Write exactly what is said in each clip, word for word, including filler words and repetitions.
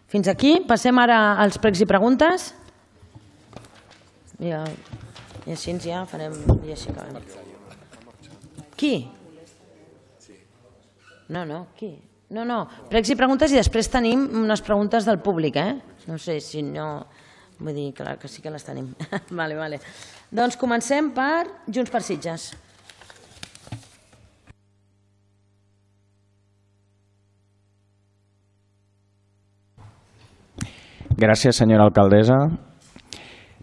Fins aquí. Passem ara als pregs i preguntes. I així ja farem... Qui? No, no, qui? No, no, pregs i preguntes i després tenim unes preguntes del públic, eh? No sé si no... Vull dir, clar que sí que les tenim. Vale, vale. Doncs comencem per Junts per Sitges. Gràcies, senyora alcaldessa.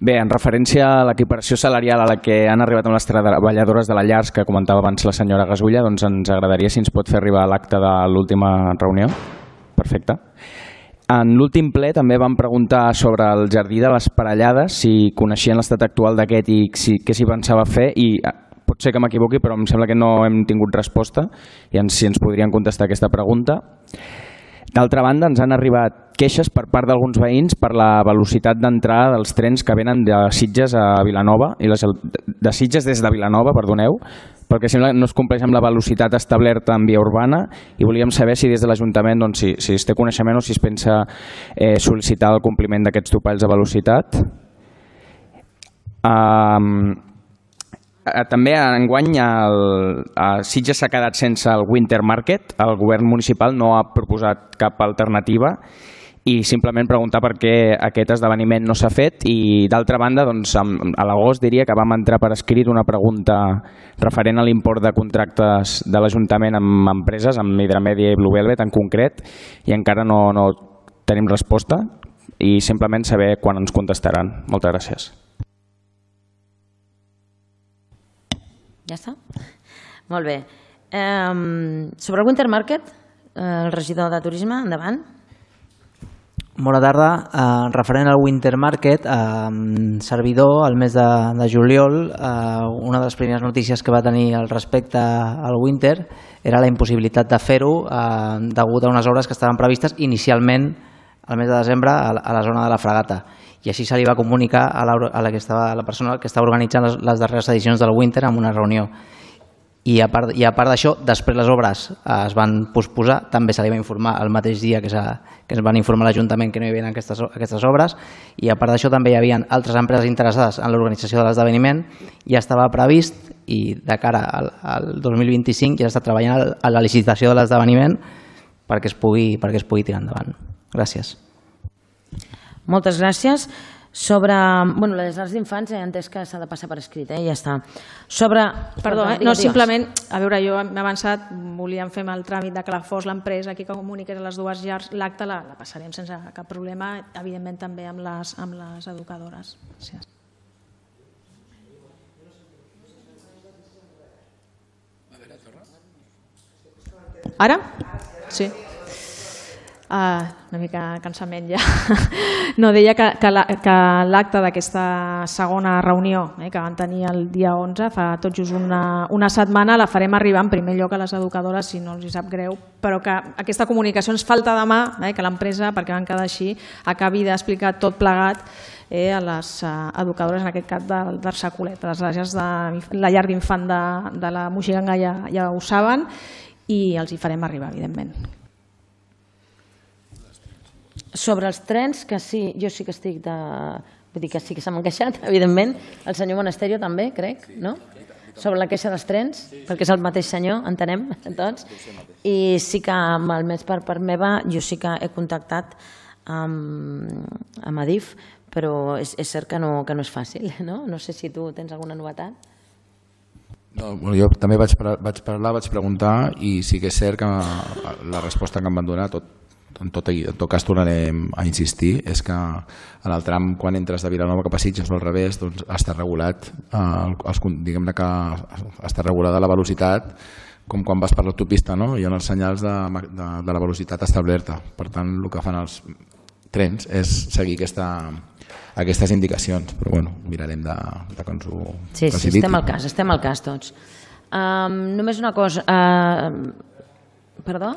Bé, en referència a l'equiparació salarial a la que han arribat amb les treballadores de la Llars, que comentava abans la senyora Gasulla, doncs ens agradaria si ens pot fer arribar l'acte de l'última reunió. Perfecte. En l'últim ple també vam preguntar sobre el Jardí de les Parellades, si coneixien l'estat actual d'aquest i si, què s'hi pensava fer, i pot ser que m'equivoqui, però em sembla que no hem tingut resposta, i ens, si ens podrien contestar aquesta pregunta. D'altra banda, ens han arribat queixes per part d'alguns veïns per la velocitat d'entrada dels trens que venen de Sitges a Vilanova, i les, de Sitges des de Vilanova, perdoneu, perquè sembla que no es compleix amb la velocitat establerta en via urbana, i volíem saber si des de l'Ajuntament doncs, si, si es té coneixement o si es pensa eh, sol·licitar el compliment d'aquests topalls de velocitat. Um, També enguany el, a Sitges s'ha quedat sense el Winter Market, el govern municipal no ha proposat cap alternativa i simplement preguntar per què aquest esdeveniment no s'ha fet, i d'altra banda doncs, a l'agost diria que vam entrar per escrit una pregunta referent a l'import de contractes de l'Ajuntament amb empreses, amb Hidromedia i Blue Velvet en concret, i encara no, no tenim resposta i simplement saber quan ens contestaran. Moltes gràcies. Ja està? Molt bé. Um, sobre el Winter Market, el regidor de Turisme, endavant. Bona tarda. Uh, referent al Winter Market, uh, servidor, al mes de, de juliol, uh, una de les primeres notícies que va tenir al respecte al Winter era la impossibilitat de fer-ho uh, degut a unes obres que estaven previstes inicialment al mes de desembre a, a la zona de la Fragata. I així se li va comunicar a la, a la, que estava, a la persona que estava organitzant les, les darreres edicions del Winter en una reunió. I a part, i a part d'això, després les obres es van posposar, també se li va informar el mateix dia que, que es van informar a l'Ajuntament que no hi havia aquestes, aquestes obres, i a part d'això també hi havia altres empreses interessades en l'organització de l'esdeveniment, ja estava previst i de cara al, al dos mil vint-i-cinc ja està treballant a la licitació de l'esdeveniment perquè es pugui, perquè es pugui tirar endavant. Gràcies. Moltes gràcies. Sobre bueno, les llars d'infants he entès que s'ha de passar per escrit, eh? Ja està. Sobre... Perdó, eh? no, simplement, a veure, jo m'he avançat, volíem fer el tràmit de que la fos l'empresa aquí que comuniqués a les dues llars, l'acte la, la passarem sense cap problema, evidentment també amb les, amb les educadores. Gràcies. Ara? Sí. Uh, una mica cansament ja. No, deia que, que l'acte d'aquesta segona reunió eh, que van tenir el dia onze, fa tot just una, una setmana, la farem arribar en primer lloc a les educadores, si no els hi sap greu, però que aquesta comunicació ens falta demà, eh, que l'empresa, perquè van quedar així, acabi d'explicar tot plegat eh, a les uh, educadores, en aquest cas d'Arsacolet. Les llars de la llar d'infant de, de la Moixiganga ja, ja ho saben i els hi farem arribar, evidentment. Sobre els trens, que sí, jo sí que estic de... Vull dir que sí que s'ha queixat, evidentment. El senyor Monasterio també, crec, no? Sobre la queixa dels trens, perquè és el mateix senyor, entenem, tots. I sí que, almenys per part meva, jo sí que he contactat amb, amb Adif, però és, és cert que no, que no és fàcil, no? No sé si tu tens alguna novetat. No, bueno, jo també vaig, vaig parlar, vaig preguntar, i sí que és cert que la resposta que em van donar, tot, en tot, en tot cas tornarem a insistir, és que en el tram quan entres de Vilanova cap a Sitges o al revés doncs està regulat, eh, els, diguem-ne que està regulada la velocitat com quan vas per l'autopista, no? Hi ha els senyals de, de, de la velocitat establerta, per tant el que fan els trens és seguir aquesta, aquestes indicacions, però bueno, mirarem de, de que ens ho sí, sí, estem al cas, estem al cas tots. Um, només una cosa, uh, perdó?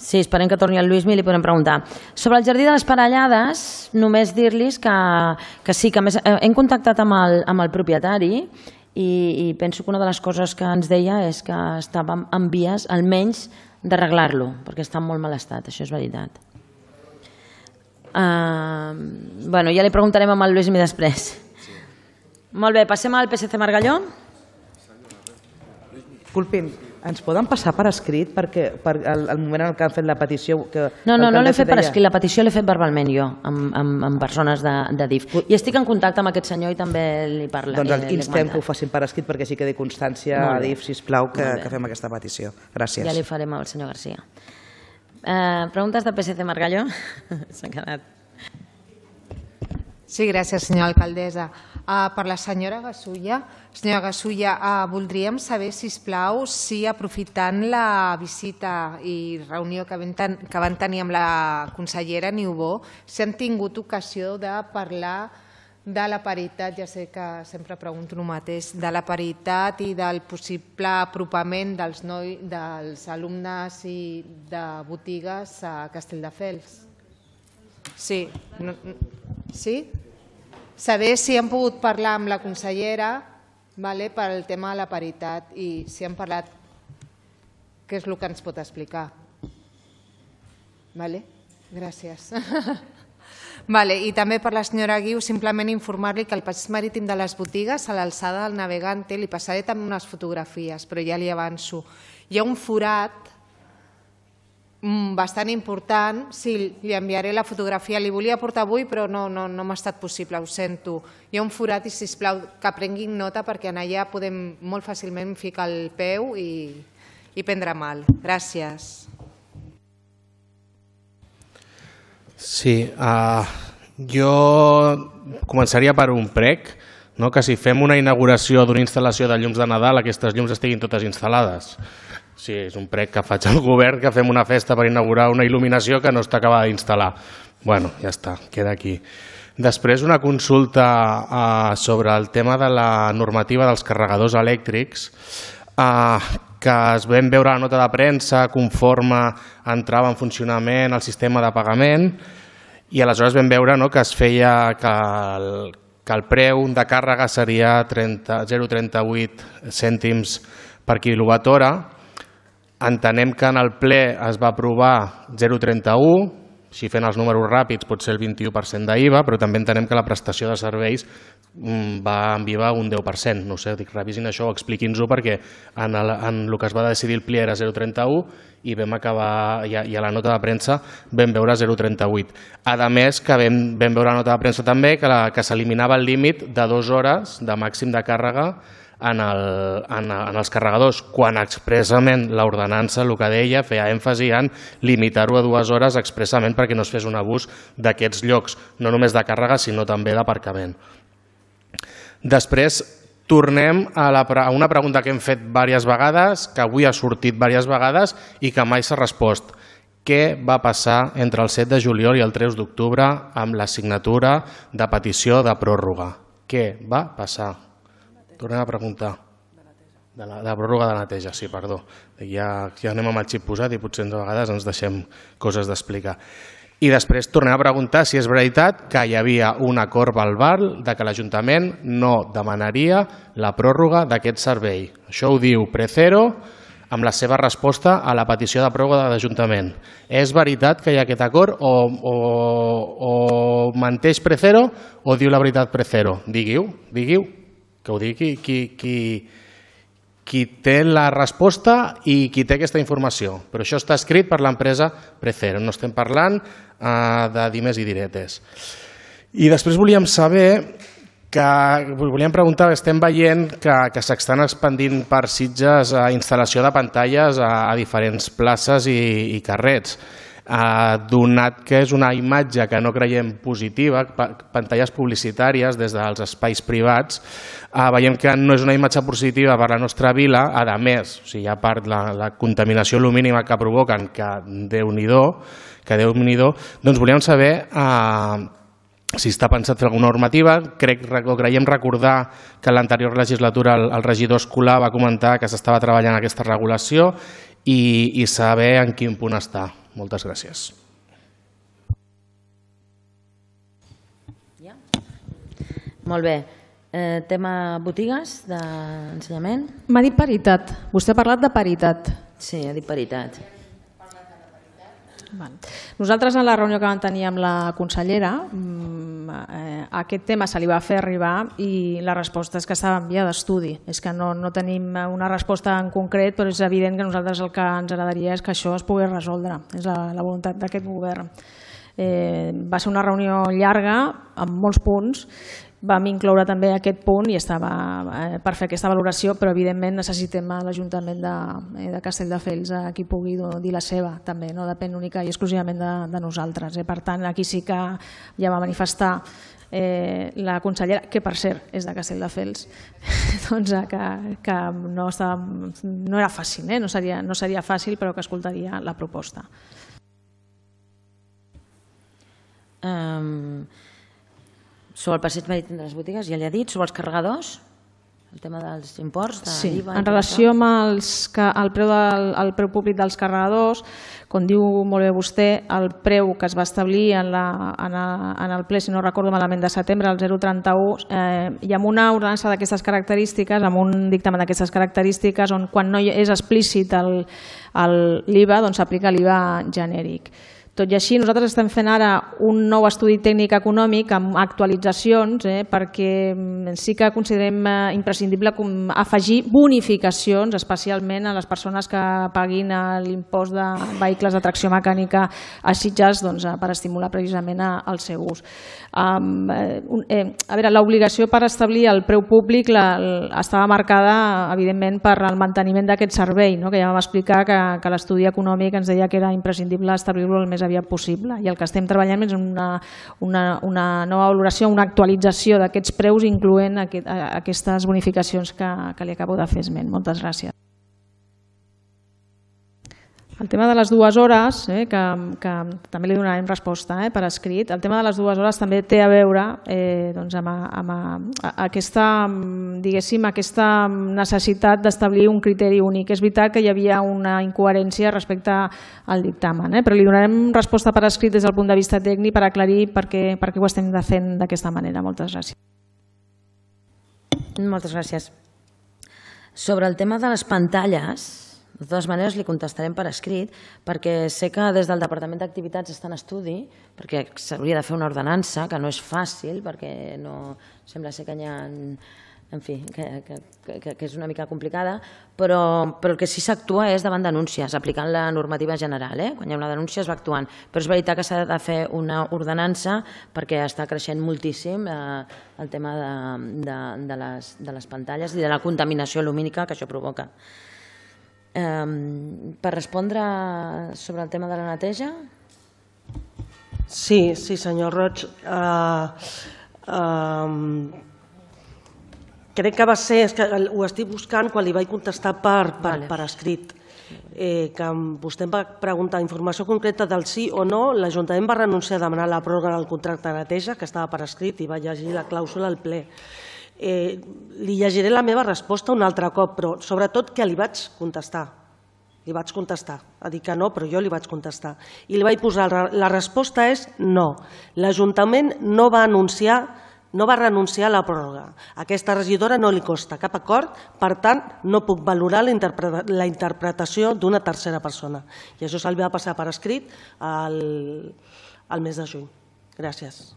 Sí, esperem que torni el Lluïsmi i li podem preguntar. Sobre el Jardí de les Parellades, només dir-los que, que sí, que més, hem contactat amb el, amb el propietari i, i penso que una de les coses que ens deia és que estàvem en vies almenys d'arreglar-lo, perquè està en molt mal estat, això és veritat. Uh, bueno, ja li preguntarem amb el Lluís després. Molt bé, passem al P S C Margalló. Disculpin, ens poden passar per escrit perquè per el, el moment en què han fet la petició... Que no, no, no l'he fet per escrit, la petició l'he fet verbalment jo, amb, amb, amb persones de, de D I F. I estic en contacte amb aquest senyor i també li parla. Doncs el instem que ho facin per escrit perquè sí que quedi constància a D I F, sisplau, que, que fem aquesta petició. Gràcies. Ja li farem al senyor Garcia. Uh, preguntes del P S C Margalló? S'ha quedat... Sí, gràcies, senyora alcaldessa. Uh, per la senyora Gasulla, senyora Gasulla, uh, voldríem saber, sisplau, si aprofitant la visita i reunió que, ten, que van tenir amb la consellera Niubó, si han tingut ocasió de parlar de la paritat, ja sé que sempre pregunto el mateix, de la paritat i del possible apropament dels, noi, dels alumnes i de botigues a Castelldefels. Sí, no, sí? Saber si han pogut parlar amb la consellera vale, per al tema de la paritat i si han parlat, què és el que ens pot explicar. Vale? Gràcies. Vale, i també per la senyora Guiu, simplement informar-li que el passeig marítim de les botigues, a l'alçada del Navegante, li passaré també unes fotografies, però ja li avanço. Hi ha un forat bastant important, sí, li enviaré la fotografia, li volia portar avui però no, no, no m'ha estat possible, ho sento. Hi ha un forat i sisplau que prenguin nota perquè en allà podem molt fàcilment ficar el peu i, i prendre mal. Gràcies. Sí, uh, jo començaria per un prec, no? Que si fem una inauguració d'una instal·lació de llums de Nadal, aquestes llums estiguin totes instal·lades. Sí, és un prec que faig al govern, que fem una festa per inaugurar una il·luminació que no està acabada d'instal·lar. Bueno, ja està, queda aquí. Després una consulta uh, sobre el tema de la normativa dels carregadors elèctrics, uh, que es vam veure a la nota de premsa conforme entrava en funcionament el sistema de pagament i aleshores vam veure no, que es feia que el, que el preu de càrrega seria zero coma trenta vuit cèntims per quilowatt hora. Entenem que en el ple es va aprovar zero coma trenta u, si fent els números ràpids pot ser el vint-i-u per cent d'I V A, però també entenem que la prestació de serveis va en I V A un deu per cent. No sé, dic, revisin això, expliquin-nos-ho, perquè en el, en el que es va decidir el ple era zero coma trenta u i vam acabar, i a, i a la nota de premsa vam veure zero coma trenta vuit. A més, que vam, vam veure a la nota de premsa també que, la, que s'eliminava el límit de dues hores de màxim de càrrega En, el, en, en els carregadors, quan expressament l'ordenança el que deia feia èmfasi en limitar-ho a dues hores expressament perquè no es fes un abús d'aquests llocs, no només de càrrega sinó també d'aparcament. Després tornem a, la, a una pregunta que hem fet diverses vegades, que avui ha sortit diverses vegades i que mai s'ha respost. Què va passar entre el set de juliol i el tres d'octubre amb la signatura de petició de pròrroga? Què va passar? Tornem a preguntar. De la, de la pròrroga de neteja, sí, perdó. Ja, ja anem amb el xip posat i potser de vegades ens deixem coses d'explicar. I després tornem a preguntar si és veritat que hi havia un acord verbal de que l'Ajuntament no demanaria la pròrroga d'aquest servei. Això ho diu Precero amb la seva resposta a la petició de pròrroga de l'Ajuntament. És veritat que hi ha aquest acord o, o, o menteix Precero o diu la veritat Precero? Diguiu, diguiu. Que ho digui qui, qui, qui té la resposta i qui té aquesta informació. Però això està escrit per l'empresa Precero, no estem parlant uh, de dimes i diretes. I després volíem saber, que volíem preguntar, estem veient que, que s'estan expandint per Sitges a instal·lació de pantalles a, a diferents places i, i carrers. Uh, donat que és una imatge que no creiem positiva, pantalles publicitàries des dels espais privats, uh, veiem que no és una imatge positiva per la nostra vila, a més, o sigui, a part la, la contaminació lumínica que provoquen, que Déu-n'hi-do, que Déu-n'hi-do, doncs volíem saber uh, si està pensat fer alguna normativa. Crec, o creiem recordar que en l'anterior legislatura el, el regidor Escolà va comentar que s'estava treballant aquesta regulació i, i saber en quin punt està. Moltes gràcies. Ja. Molt bé. Eh, tema botigues d'ensenyament? M'ha dit paritat. Vostè ha parlat de paritat. Sí, ha dit paritat. Nosaltres, en la reunió que vam tenir amb la consellera, aquest tema se li va fer arribar i la resposta és que estava en via d'estudi. És que no tenim una resposta en concret, però és evident que nosaltres el que ens agradaria és que això es pogués resoldre. És la voluntat d'aquest govern. Va ser una reunió llarga, amb molts punts. Vam incloure també aquest punt i estava per fer aquesta valoració, però evidentment necessitem l'Ajuntament de Castelldefels a qui pugui dir la seva, també, no depèn única i exclusivament de nosaltres. Per tant, aquí sí que ja va manifestar la consellera, que per cert és de Castelldefels, que no era fàcil, no seria fàcil, però que escoltaria la proposta. Sobre el passeig marítim de les botigues, ja li ha dit, sobre els carregadors, el tema dels imports de l'I V A. Sí, en i tot relació això. amb el preu públic dels carregadors, com diu molt bé vostè, el preu que es va establir en el ple, si no recordo malament, de setembre, el zero coma trenta-u, i amb una ordenança d'aquestes característiques, amb un dictamen d'aquestes característiques, on quan no és explícit l'I V A, doncs s'aplica l'I V A genèric. Tot i així, nosaltres estem fent ara un nou estudi tècnic econòmic amb actualitzacions perquè sí que considerem imprescindible afegir bonificacions, especialment a les persones que paguin l'impost de vehicles de tracció mecànica a Sitges per estimular precisament el seu ús. A veure, l'obligació per establir el preu públic estava marcada, evidentment, per el manteniment d'aquest servei, que ja vam explicar que l'estudi econòmic ens deia que era imprescindible establir-lo el més aviat possible, i el que estem treballant és una nova valoració, una actualització d'aquests preus, incloent aquestes bonificacions que li acabo de fer esment. Moltes gràcies. El tema de les dues hores, que també li donarem resposta per escrit, el tema de les dues hores també té a veure amb aquesta necessitat d'establir un criteri únic. És veritat que hi havia una incoherència respecte al dictamen, però li donarem resposta per escrit des del punt de vista tècnic per aclarir per què ho estem fent d'aquesta manera. Moltes gràcies. Moltes gràcies. Sobre el tema de les pantalles, de totes maneres, li contestarem per escrit, perquè sé que des del Departament d'Activitats està en estudi, perquè s'hauria de fer una ordenança, que no és fàcil, perquè sembla ser que hi ha... En fi, que és una mica complicada, però el que sí s'actua és davant denúncies, aplicant la normativa general. Quan hi ha una denúncia es va actuant. Però és veritat que s'ha de fer una ordenança perquè està creixent moltíssim el tema de les pantalles i de la contaminació lumínica que això provoca. Per respondre sobre el tema de la neteja? Sí, sí, senyor Roig. Crec que va ser, és que ho estic buscant quan li vaig contestar per escrit, que vostè em va preguntar informació concreta del sí o no. L'Ajuntament va renunciar a demanar la pròrroga del contracte de neteja, que estava per escrit, i va llegir la clàusula al ple. Li llegiré la meva resposta un altre cop, però sobretot que li vaig contestar. Li vaig contestar. Ha dit que no, però jo li vaig contestar. I li vaig posar, la resposta és no. L'Ajuntament no va anunciar, no va renunciar a la pròrroga. A aquesta regidora no li costa cap acord, per tant, no puc valorar la interpretació d'una tercera persona. I això se'l va passar per escrit el mes de juny. Gràcies.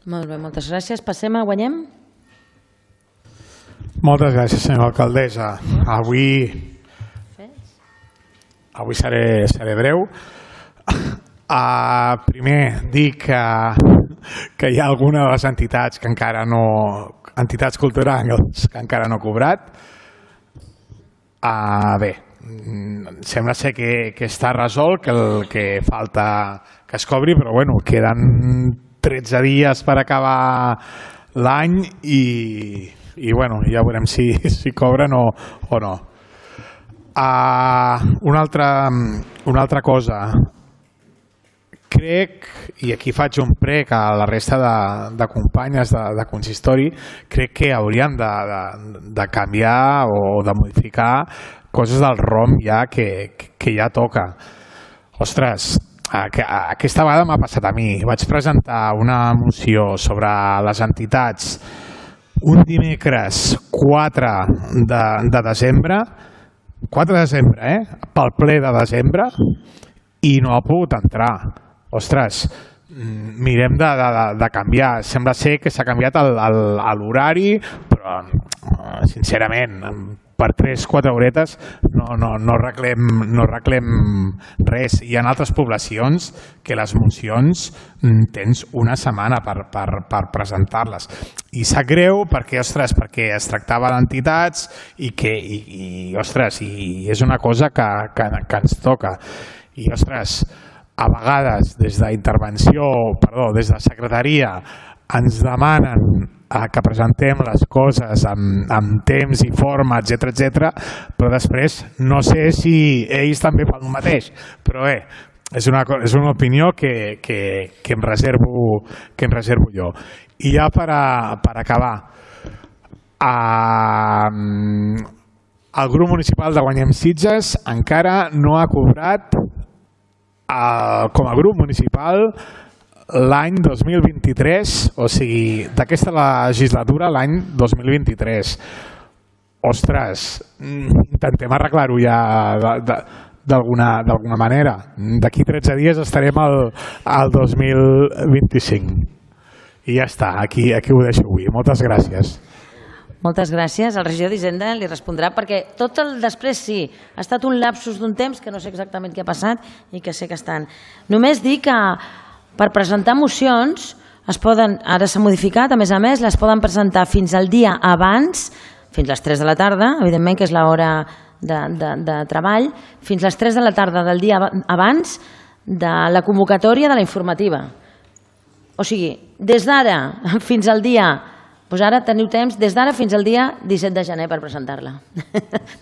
Molt bé, moltes gràcies. Passem a Guanyem. Moltes gràcies, senyora alcaldessa. Avui, avui seré, seré breu. Uh, primer, dir que, que hi ha alguna de les entitats que encara no, entitats culturals que encara no ha cobrat. Uh, bé, sembla ser que, que està resolt, que el que falta que es cobri, però bueno, queden tretze dies per acabar l'any i, i bueno, ja veurem si, si cobren o, o no. Uh, una, altra, una altra cosa, crec, i aquí faig un prec a la resta de, de companyes de, de consistori, crec que hauríem de, de, de canviar o de modificar coses del ROM ja que, que ja toca. Ostres, aquesta vegada m'ha passat a mi. Vaig presentar una moció sobre les entitats un dimecres quatre de desembre, quatre de desembre, eh? Pel ple de desembre, i no ha pogut entrar. Ostres, mirem de, de, de canviar. Sembla ser que s'ha canviat l'horari, però sincerament, per tres o quatre horetes no, no, no, arreglem, no arreglem res. Hi ha altres poblacions que les mocions tens una setmana per, per, per presentar-les. I sap greu perquè, ostres, perquè es tractava d'entitats i que i, i, ostres, i és una cosa que, que, que ens toca. I, ostres, a vegades des d'intervenció, perdó, des de secretaria ens demanen que presentem les coses amb, amb temps i forma, etcètera, etcètera, però després no sé si ells també fan el mateix, però bé, és una, és una opinió que, que, que, em reservo, que em reservo jo. I ja per, a, per acabar, a, el grup municipal de Guanyem Sitges encara no ha cobrat a, com a grup municipal l'any dos mil vint-i-tres, o sigui, d'aquesta legislatura l'any dos mil vint-i-tres. Ostres, intentem arreglar-ho ja d'alguna manera. D'aquí tretze dies estarem al, al dos mil vint-i-cinc. I ja està, aquí, aquí ho deixo avui. Moltes gràcies. Moltes gràcies. El regidor d'Hisenda li respondrà, perquè tot el després sí, ha estat un lapsus d'un temps que no sé exactament què ha passat i que sé que estan. Només dir que per presentar mocions es poden, ara s'ha modificat, a més a més, les poden presentar fins al dia abans, fins a les tres de la tarda, evidentment que és l'hora de, de, de treball, fins a les tres de la tarda del dia abans de la convocatòria de la informativa. O sigui, des d'ara fins al dia... Doncs ara teniu temps des d'ara fins al dia disset de gener per presentar-la.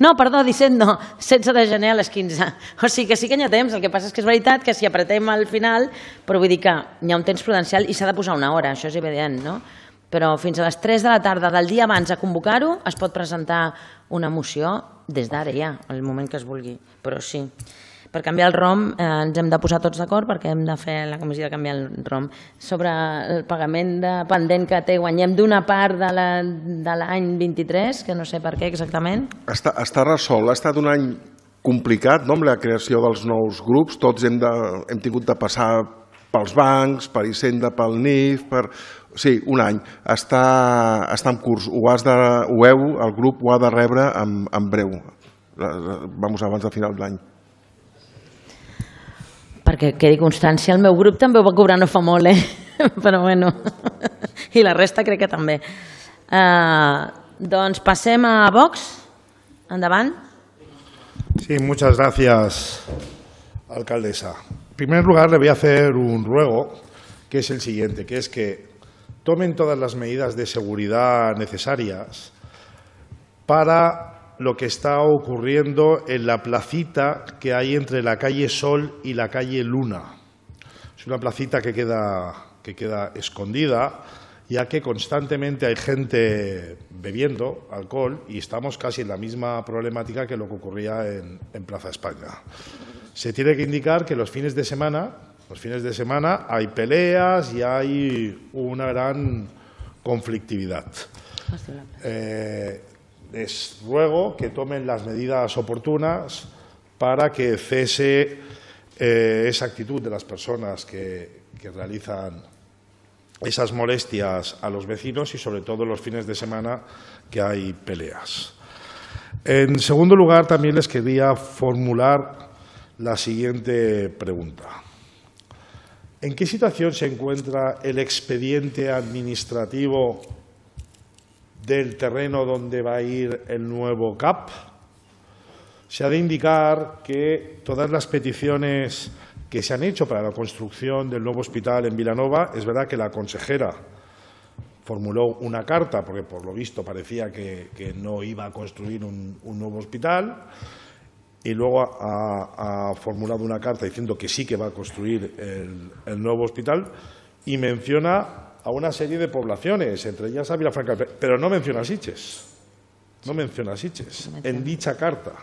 No, perdó, disset no, setze de gener a les quinze. O sigui que sí que hi ha temps, el que passa és que és veritat que si apretem al final, però vull dir que hi ha un temps prudencial i s'ha de posar una hora, això és evident, no? Però fins a les tres de la tarda del dia abans a convocar-ho es pot presentar una moció des d'ara ja, al moment que es vulgui, però sí. Per canviar el ROM eh, ens hem de posar tots d'acord perquè hem de fer la comissió de canviar el ROM. Sobre el pagament de pendent que té Guanyem d'una part de l'any vint-i-tres, que no sé per què exactament. Està, està resolt, ha estat un any complicat, no?, amb la creació dels nous grups. Tots hem, de, hem tingut de passar pels bancs, per Hisenda, pel N I F, per... Sí, un any. Està, està en curs. Ho, has de, ho heu, el grup ho ha de rebre en, en breu. Vamos, abans de final d'any. Perquè quedi constància, el meu grup també ho va cobrar no fa molt, eh? Però bueno, i la resta crec que també. Uh, doncs passem a Vox. Endavant. Sí, muchas gracias, alcaldesa. En primer lugar, le voy a hacer un ruego, que es el siguiente, que es que tomen todas las medidas de seguridad necesarias para lo que está ocurriendo en la placita que hay entre la calle Sol y la calle Luna. Es una placita que queda, que queda escondida, ya que constantemente hay gente bebiendo alcohol y estamos casi en la misma problemática que lo que ocurría en, en Plaza España. Se tiene que indicar que los fines de semana, los fines de semana hay peleas y hay una gran conflictividad. Eh, Les ruego que tomen las medidas oportunas para que cese eh, esa actitud de las personas que, que realizan esas molestias a los vecinos y sobre todo los fines de semana que hay peleas. En segundo lugar, también les quería formular la siguiente pregunta. ¿En qué situación se encuentra el expediente administrativo del terreno donde va a ir el nuevo C A P? Se ha de indicar que todas las peticiones que se han hecho para la construcción del nuevo hospital en Vilanova, es verdad que la consejera formuló una carta, porque por lo visto parecía que, que no iba a construir un, un nuevo hospital, y luego ha, ha formulado una carta diciendo que sí que va a construir el, el nuevo hospital, y menciona a una serie de poblaciones, entre ellas a Vilafranca, pero no menciona a Sitges, no menciona a Sitges en dicha carta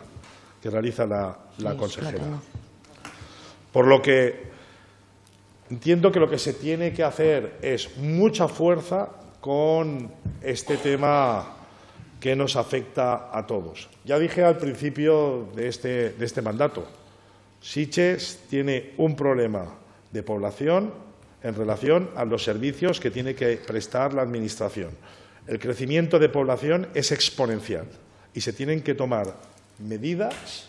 que realiza la, la consejera. Por lo que entiendo que lo que se tiene que hacer es mucha fuerza con este tema que nos afecta a todos. Ya dije al principio de este, de este mandato, Sitges tiene un problema de población en relación a los servicios que tiene que prestar la Administración. El crecimiento de población es exponencial y se tienen que tomar medidas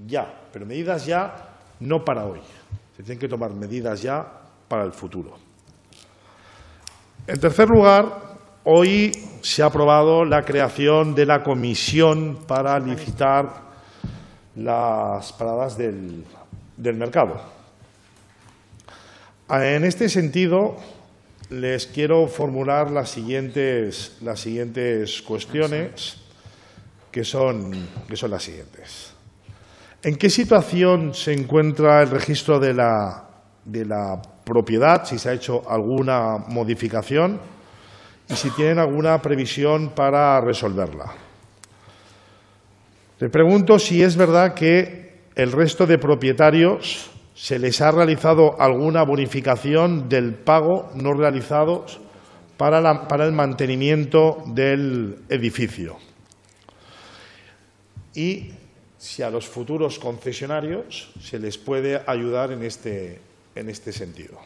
ya, pero medidas ya no para hoy. Se tienen que tomar medidas ya para el futuro. En tercer lugar, hoy se ha aprobado la creación de la comisión para licitar las paradas del, del mercado. En este sentido, les quiero formular las siguientes, las siguientes cuestiones, que son, que son las siguientes. ¿En qué situación se encuentra el registro de la, de la propiedad, si se ha hecho alguna modificación y si tienen alguna previsión para resolverla? Le pregunto si es verdad que el resto de propietarios se les ha realizado alguna bonificación del pago no realizado para, la, para el mantenimiento del edificio. Y si a los futuros concesionarios se les puede ayudar en este, en este sentido.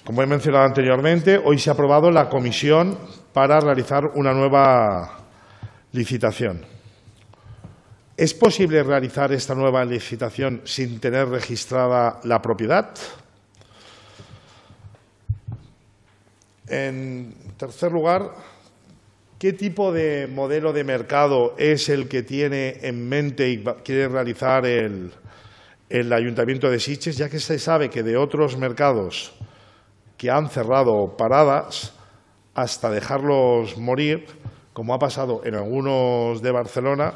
Como he mencionado anteriormente, hoy se ha aprobado la comisión para realizar una nueva licitación. ¿Es posible realizar esta nueva licitación sin tener registrada la propiedad? En tercer lugar, ¿qué tipo de modelo de mercado es el que tiene en mente y quiere realizar el, el Ayuntamiento de Sitges, ya que se sabe que de otros mercados que han cerrado paradas hasta dejarlos morir, como ha pasado en algunos de Barcelona,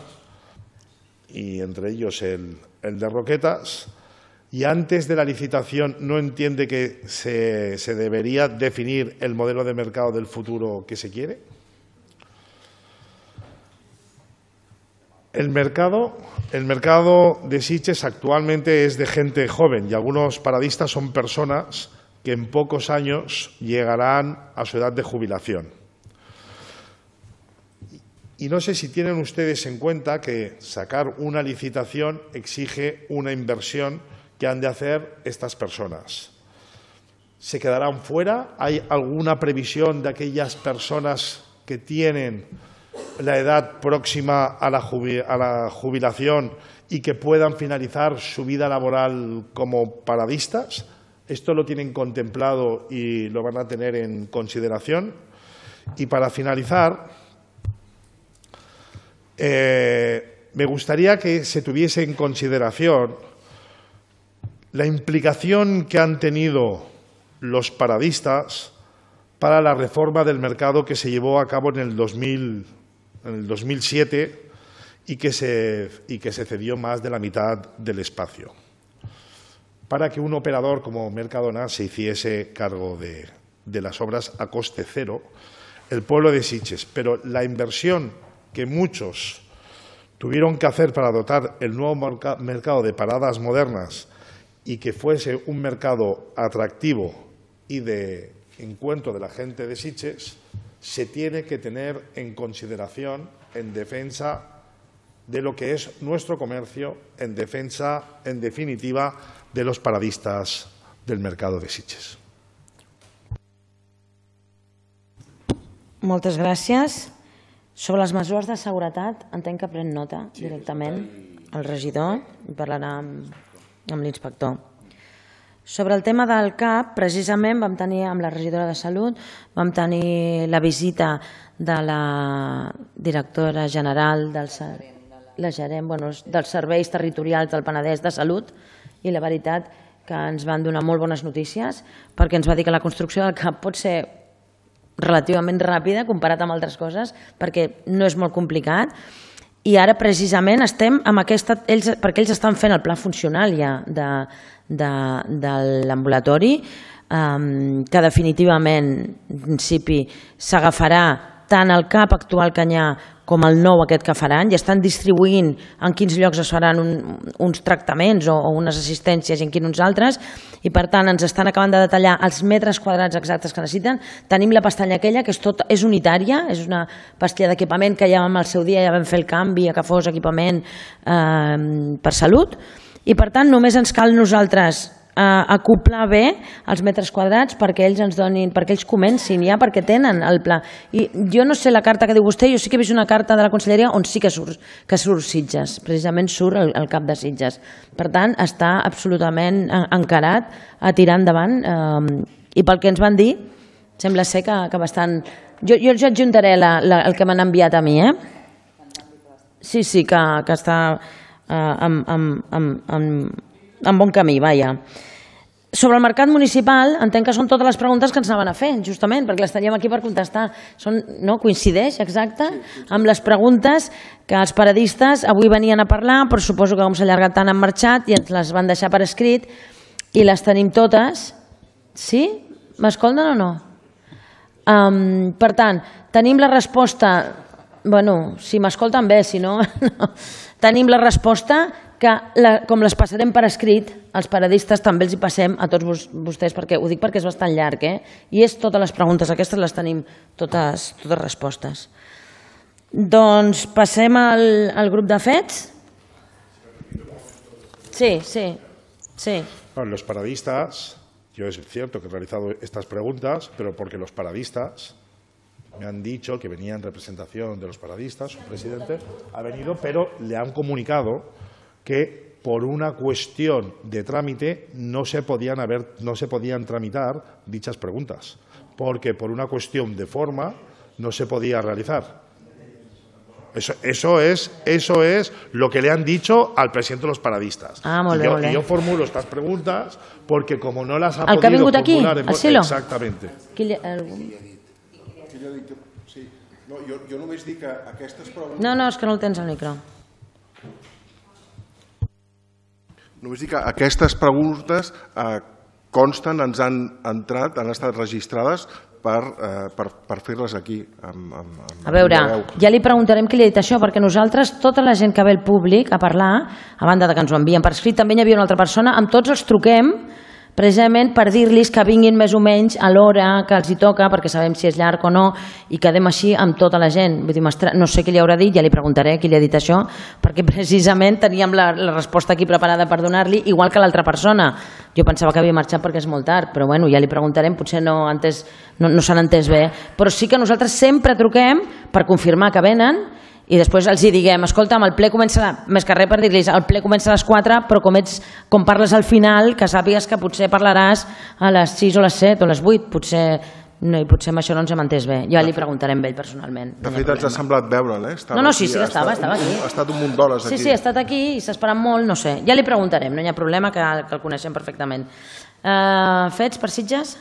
y entre ellos el, el de Roquetas, y antes de la licitación no entiende que se, se debería definir el modelo de mercado del futuro que se quiere? El mercado, el mercado de Sitges actualmente es de gente joven y algunos paradistas son personas que en pocos años llegarán a su edad de jubilación. Y no sé si tienen ustedes en cuenta que sacar una licitación exige una inversión que han de hacer estas personas. ¿Se quedarán fuera? ¿Hay alguna previsión de aquellas personas que tienen la edad próxima a la jubilación y que puedan finalizar su vida laboral como paradistas? ¿Esto lo tienen contemplado y lo van a tener en consideración? Y para finalizar, Eh, me gustaría que se tuviese en consideración la implicación que han tenido los paradistas para la reforma del mercado que se llevó a cabo en el, dos mil, en el dos mil siete y que, se, y que se cedió más de la mitad del espacio, para que un operador como Mercadona se hiciese cargo de, de las obras a coste cero, el pueblo de Sitges. Pero la inversión que muchos tuvieron que hacer para dotar el nuevo mercado de paradas modernas y que fuese un mercado atractivo y de encuentro de la gente de Sitges, se tiene que tener en consideración en defensa de lo que es nuestro comercio, en defensa, en definitiva, de los paradistas del mercado de Sitges. Moltes gràcies. Sobre les mesures de seguretat, entenc que pren nota directament el regidor i parlarà amb, amb l'inspector. Sobre el tema del C A P, precisament vam tenir amb la regidora de Salut, vam tenir la visita de la directora general del, la gerent, bueno, dels serveis territorials del Penedès de Salut, i la veritat que ens van donar molt bones notícies perquè ens va dir que la construcció del C A P pot ser relativament ràpida comparat amb altres coses, perquè no és molt complicat, i ara precisament estem amb aquesta, ells, perquè ells estan fent el pla funcional ja de, de, de l'ambulatori, um, que definitivament en principi s'agafarà tant el C A P actual que hi ha com el nou aquest que faran, i estan distribuint en quins llocs es faran uns tractaments o unes assistències i en quins altres, i per tant ens estan acabant de detallar els metres quadrats exactes que necessiten. Tenim la pestanya aquella que és unitària, és una pastilla d'equipament que ja al seu dia ja vam fer el canvi a que fos equipament per salut, i per tant només ens cal nosaltres acoplar bé els metres quadrats perquè ells ens donin, perquè ells comencin ja, perquè tenen el pla. I jo no sé la carta que diu vostè, jo sí que he vist una carta de la Conselleria on sí que surt, que surt Sitges, precisament surt el, el cap de Sitges. Per tant, està absolutament encarat a tirar endavant, eh, i pel que ens van dir, sembla ser que, que bastant... Jo, jo els adjuntaré la, la, el que m'han enviat a mi, eh? Sí, sí, que, que està eh, amb, amb, amb, amb, amb bon camí, vaja. Sobre el mercat municipal, entenc que són totes les preguntes que ens anaven a fer, justament, perquè les teníem aquí per contestar. Són, no? Coincideix, exacte, amb les preguntes que els paradistes avui venien a parlar, però suposo que com s'ha allargat tant han marxat i ens les van deixar per escrit i les tenim totes. Sí? M'escolten o no? Um, per tant, tenim la resposta... Bueno, si m'escolten bé, si no... no. Tenim la resposta que la, com les passarem per escrit, els paradistes també els hi passem a tots vos, vostès, perquè ho dic perquè és bastant llarg, eh? I és totes les preguntes, aquestes les tenim totes, totes respostes. Doncs passem al, al grup de fets. Sí, sí, sí. Bueno, los paradistas, yo es cierto que he realizado estas preguntas, pero porque los paradistas me han dicho que venía en representación de los paradistas, su presidente ha venido, pero le han comunicado que por una cuestión de trámite no se podían haber, no se podían tramitar dichas preguntas, porque por una cuestión de forma no se podía realizar. Eso, eso, es, eso es lo que le han dicho al presidente de los paradistas. Ah, molt bé, y, yo, molt bé. y yo formulo estas preguntas porque como no las ha el que ha podido vingut aquí, formular... al Silo? Exactamente. Qui li, algun... Sí. No, jo, jo només dic que aquestes preguntes... No, no, és que no el tens al micro. Només dic que aquestes preguntes eh, consten, ens han entrat, han estat registrades per, eh, per, per fer-les aquí. Amb, amb, amb A veure, veu. ja li preguntarem qui li ha dit això, perquè nosaltres, tota la gent que ve al públic a parlar, a banda de que ens ho envien per escrit, també hi havia una altra persona, amb tots els truquem precisament per dir-los que vinguin més o menys a l'hora que els hi toca, perquè sabem si és llarg o no, i quedem així amb tota la gent. Vull dir, no sé qui li haurà dit, ja li preguntaré qui li ha dit això, perquè precisament teníem la, la resposta aquí preparada per donar-li, igual que l'altra persona. Jo pensava que havia marxat perquè és molt tard, però bueno, ja li preguntarem, potser no, entès, no, no s'han entès bé. Però sí que nosaltres sempre truquem per confirmar que venen, i després els hi diguem, escolta'm, el ple comença, més que res per dir-los, el ple comença a les quatre, però com, ets, com parles al final, que sàpigues que potser parlaràs a les sis o les set o les vuit, potser, no, i potser amb això no ens hem entès bé. Ja li preguntarem a ell personalment. De fet, ens ha semblat veure'l, eh? No, no, sí, sí que estava, estava aquí. Ha estat un munt d'hores aquí. Sí, sí, ha estat aquí i s'ha esperat molt, no sé. Ja li preguntarem, no hi ha problema, que, que el coneixem perfectament. Uh, fets per Sitges?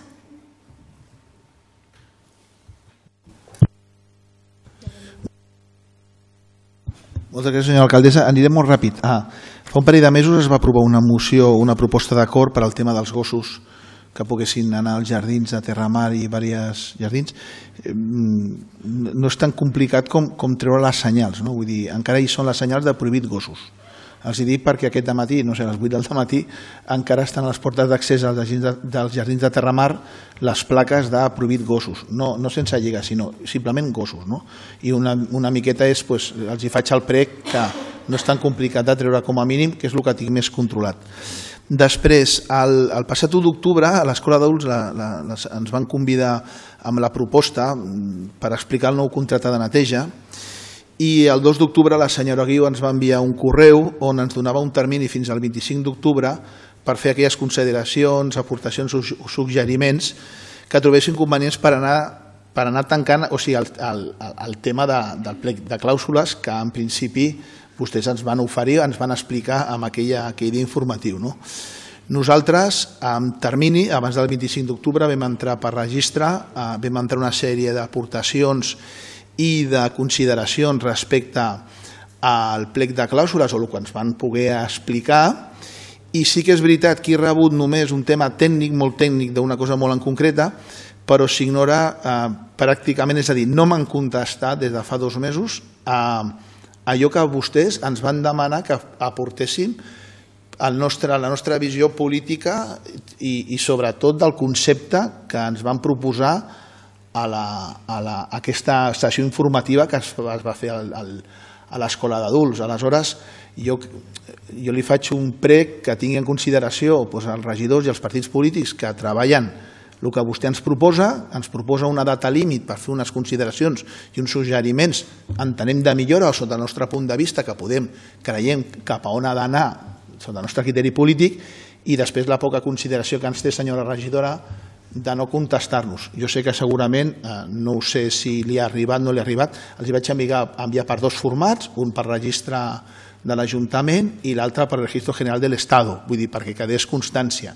Moltes gràcies, senyora alcaldessa. Anirem molt ràpid. Ah, fa un parell de mesos es va aprovar una moció, una proposta d'acord per al tema dels gossos que poguessin anar als jardins de Terramar i diversos jardins. No és tan complicat com, com treure les senyals, no? Vull dir, encara hi són les senyals de prohibit gossos. Els hi dic perquè aquest matí, no sé, a les vuit del matí, encara estan a les portes d'accés als jardins de, dels jardins de Terramar les plaques de prohibit gossos. No, no sense lliga, sinó simplement gossos. No? I una, una miqueta és, pues, els hi faig el prec que no és tan complicat de treure com a mínim, que és el que tinc més controlat. Després, el, el passat u d'octubre, a l'Escola d'Adults ens van convidar amb la proposta per explicar el nou contracte de neteja, i el dos d'octubre la senyora Guiu ens va enviar un correu on ens donava un termini fins al vint-i-cinc d'octubre per fer aquelles consideracions, aportacions o suggeriments que trobessin convenients per anar, per anar tancant, o sigui, el, el, el tema de, del plec de clàusules que en principi vostès ens van oferir, ens van explicar amb aquella, aquell informatiu. No? Nosaltres, amb termini, abans del vint-i-cinc d'octubre, vam entrar per registre, vam entrar una sèrie d'aportacions i de consideracions respecte al plec de clàusules o el que ens van poder explicar, i sí que és veritat que he rebut només un tema tècnic, molt tècnic, d'una cosa molt en concreta, però s'ignora eh, pràcticament, és a dir, no m'han contestat des de fa dos mesos allò que vostès ens van demanar que aportéssim el nostre, la nostra visió política i, i sobretot del concepte que ens van proposar a, la, a, la, a aquesta sessió informativa que es, es va fer al, al, a l'escola d'adults. Aleshores, jo, jo li faig un prec que tingui en consideració doncs, els regidors i els partits polítics que treballen el que vostè ens proposa, ens proposa una data límit per fer unes consideracions i uns suggeriments, entenem de millora o sota el nostre punt de vista que podem, creiem cap a on ha d'anar sota el nostre criteri polític, i després la poca consideració que ens té, senyora regidora, de no contestar-nos. Jo sé que segurament, eh, no ho sé si li ha arribat o no li ha arribat, els hi vaig enviar, enviar per dos formats, un per registre de l'Ajuntament i l'altre per Registro General de l'Estado, vull dir, perquè quedés constància.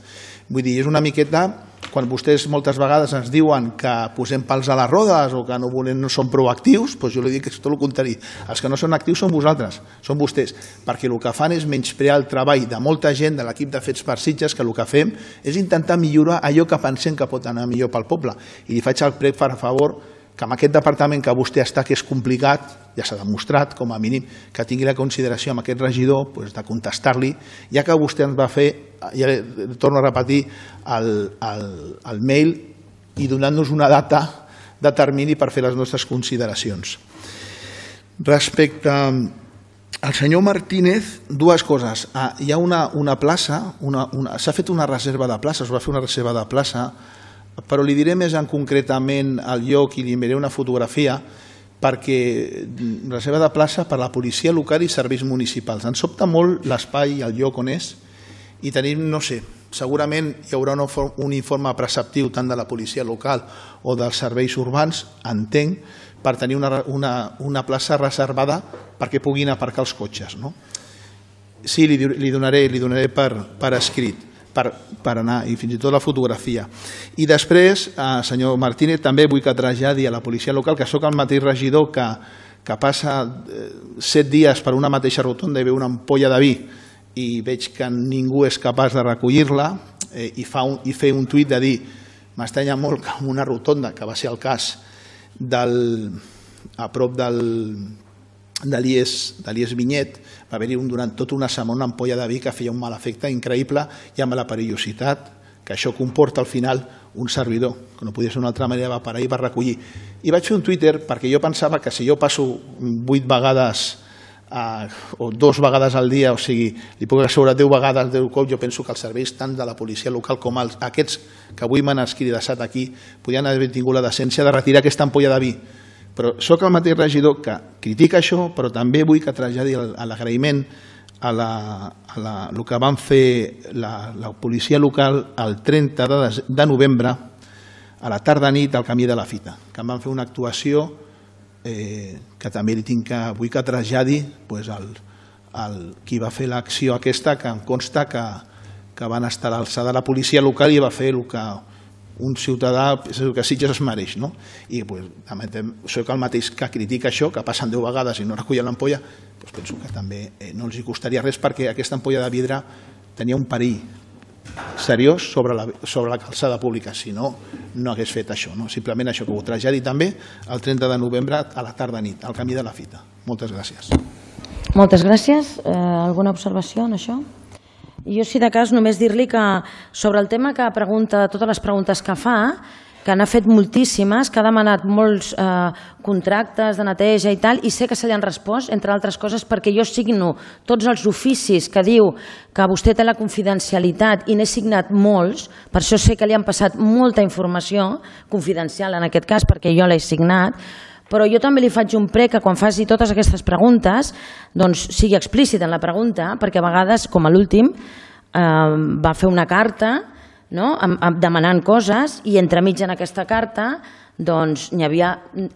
Vull dir, és una miqueta, quan vostès moltes vegades ens diuen que posem pals a les rodes o que no, volem, no som proactius, doncs jo li dic que és tot el contrari. Els que no són actius són vosaltres, són vostès, perquè el que fan és menysprear el treball de molta gent de l'equip de Fets per Sitges, que el que fem és intentar millorar allò que pensem que pot anar millor pel poble. I li faig el prec, per favor, que amb aquest departament que vostè està, que és complicat, ja s'ha demostrat, com a mínim, que tingui la consideració amb aquest regidor doncs, de contestar-li, ja que vostè ens va fer, ja torno a repetir, el, el, el mail i donant-nos una data de termini per fer les nostres consideracions. Respecte al senyor Martínez, dues coses. Ah, hi ha una, una plaça, una, una, s'ha fet una reserva de plaça, es va fer una reserva de plaça, però li diré més en concretament el lloc i li enviaré una fotografia perquè reserva de plaça per a la policia local i serveis municipals. Ens sobta molt l'espai i el lloc on és i tenim, no sé, segurament hi haurà un informe preceptiu tant de la policia local o dels serveis urbans, entenc, per tenir una, una, una plaça reservada perquè puguin aparcar els cotxes. No? Sí, li, li donaré, li donaré per, per escrit. Per, per anar, i fins i tot la fotografia. I després, eh, senyor Martínez, també vull que traslladi a la policia local que sóc el mateix regidor que, que passa eh, set dies per una mateixa rotonda i veu una ampolla de vi i veig que ningú és capaç de recollir-la eh, i, fa un, i fer un tuit de dir m'estranya molt que en una rotonda, que va ser el cas del, a prop del de l'I E S Vinyet, va haver-hi un, durant tota una setmana una ampolla de vi que feia un mal efecte increïble i amb la perillositat que això comporta al final un servidor, que no podia ser una altra manera, va parar i va recollir. I vaig fer un Twitter perquè jo pensava que si jo passo vuit vegades eh, o dos vegades al dia, o sigui, li puc assegurar deu vegades, deu cops, jo penso que els serveis tant de la policia local com els, aquests que avui m'han escridassat aquí podien haver tingut la decència de retirar aquesta ampolla de vi. Però sóc el mateix regidor que critica això, però també vull que traslladi l'agraïment a, la, a la, el que van fer la, la policia local el trenta de, de novembre a la tarda-nit al camí de la Fita, que em van fer una actuació eh, que també li tinc que, vull que traslladi pues, el, el, qui va fer l'acció aquesta, que em consta que, que van estar a l'alçada de la policia local i va fer el que un ciutadà que Sitges es mereix, no? I pues, soc el mateix que critica això, que passen deu vegades i no recullen l'ampolla, doncs penso que també eh, no els hi costaria res perquè aquesta ampolla de vidre tenia un perill seriós sobre la, sobre la calçada pública, si no, no hagués fet això. No? Simplement això que ho traslladi també el trenta de novembre a la tarda-nit, al camí de la Fita. Moltes gràcies. Moltes gràcies. Eh, alguna observació en això? Jo, si de cas, només dir-li que sobre el tema que pregunta, totes les preguntes que fa, que n'ha fet moltíssimes, que ha demanat molts eh, contractes de neteja i tal, i sé que se li han respost, entre altres coses, perquè jo signo tots els oficis que diu que vostè té la confidencialitat i n'he signat molts, per això sé que li han passat molta informació confidencial en aquest cas, perquè jo l'he signat, però jo també li faig un prec que quan faci totes aquestes preguntes doncs sigui explícit en la pregunta, perquè a vegades, com a l'últim, eh, va fer una carta, no? demanant coses i entremig en aquesta carta doncs n'hi havia,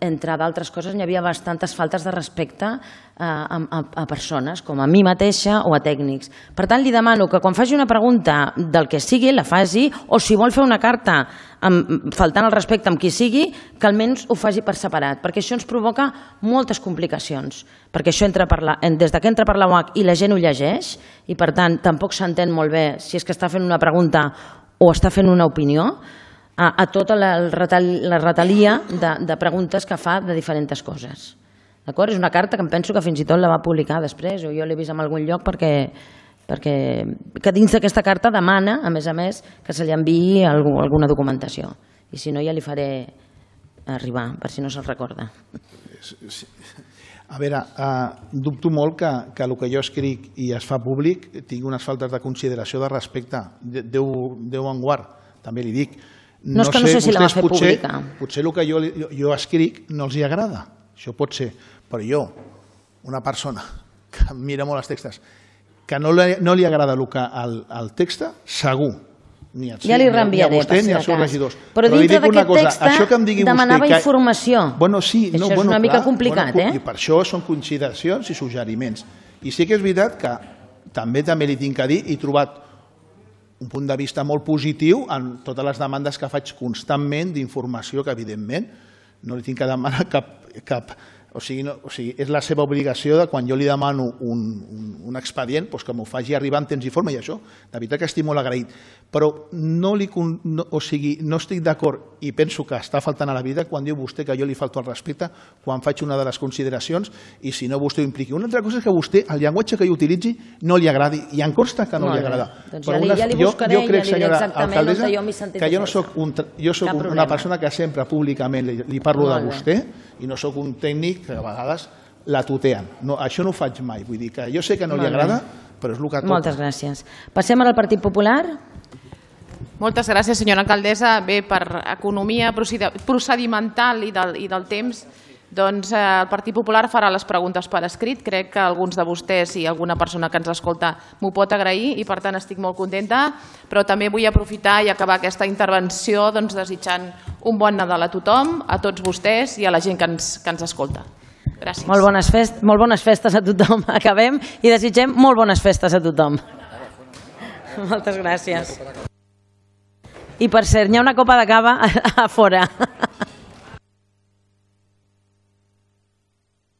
entre d'altres coses, n'hi havia bastantes faltes de respecte a, a, a persones, com a mi mateixa o a tècnics. Per tant, li demano que quan faci una pregunta del que sigui, la faci, o si vol fer una carta amb, faltant el respecte amb qui sigui, que almenys ho faci per separat, perquè això ens provoca moltes complicacions, perquè això entra per la, des que entra per la U A C i la gent ho llegeix, i per tant tampoc s'entén molt bé si és que està fent una pregunta o està fent una opinió, a tota la, la retalia de, de preguntes que fa de diferents coses. D'acord? És una carta que em penso que fins i tot la va publicar després, o jo l'he vist en algun lloc perquè, perquè que dins d'aquesta carta demana, a més a més, que se li enviï alguna documentació. I si no ja li faré arribar, per si no se'l recorda. A veure, uh, dubto molt que, que el que jo escric i es fa públic tingui unes faltes de consideració, de respecte. Déu, Déu en guard, també li dic. No, no és que no sé si la va fer potser, pública. Potser el que jo, jo, jo escric no els hi agrada, això pot ser, però jo, una persona que mira molt els textos, que no li, no li agrada el, que, el, el text, segur. Ni el, ja li reenviaré, ni, ni els seus regidors. Però, però dintre d'aquest text demanava que... informació. Bueno, sí, això no, és bueno, una clar, mica complicat, bueno, eh? I per això són consideracions i suggeriments. I sí que és veritat que també també li tinc a dir, he trobat un punt de vista molt positiu en totes les demandes que faig constantment d'informació, que evidentment no li tinc que demanar cap... cap o sigui, no, o sigui, és la seva obligació de quan jo li demano un, un, un expedient doncs que m'ho faci arribar en temps i forma, i això, de veritat que estic molt agraït. Però no, li, no, o sigui, no estic d'acord i penso que està faltant a la vida quan diu vostè que jo li falto al respecte quan faig una de les consideracions i si no vostè ho impliqui. Una altra cosa és que a vostè el llenguatge que jo utilitzi no li agradi i em consta que no li agrada. Doncs ja li, ja li buscaré i ja li diré exactament on jo m'he sentit. Que jo no soc, un, jo soc una persona que sempre públicament li, li parlo de vostè i no sóc un tècnic que a vegades la tuteen. No, això no ho faig mai. Vull dir que jo sé que no li agrada, però és el que toca. Moltes gràcies. Passem al Partit Popular. Moltes gràcies, senyora alcaldessa. Bé, per economia procedimental i del, i del temps, doncs eh, el Partit Popular farà les preguntes per escrit. Crec que alguns de vostès i alguna persona que ens escolta m'ho pot agrair i per tant estic molt contenta, però també vull aprofitar i acabar aquesta intervenció doncs, desitjant un bon Nadal a tothom, a tots vostès i a la gent que ens, que ens escolta. Gràcies. Molt bones, fest, molt bones festes a tothom. Acabem i desitgem molt bones festes a tothom. Moltes gràcies. I per cert, hi ha una copa de cava a fora.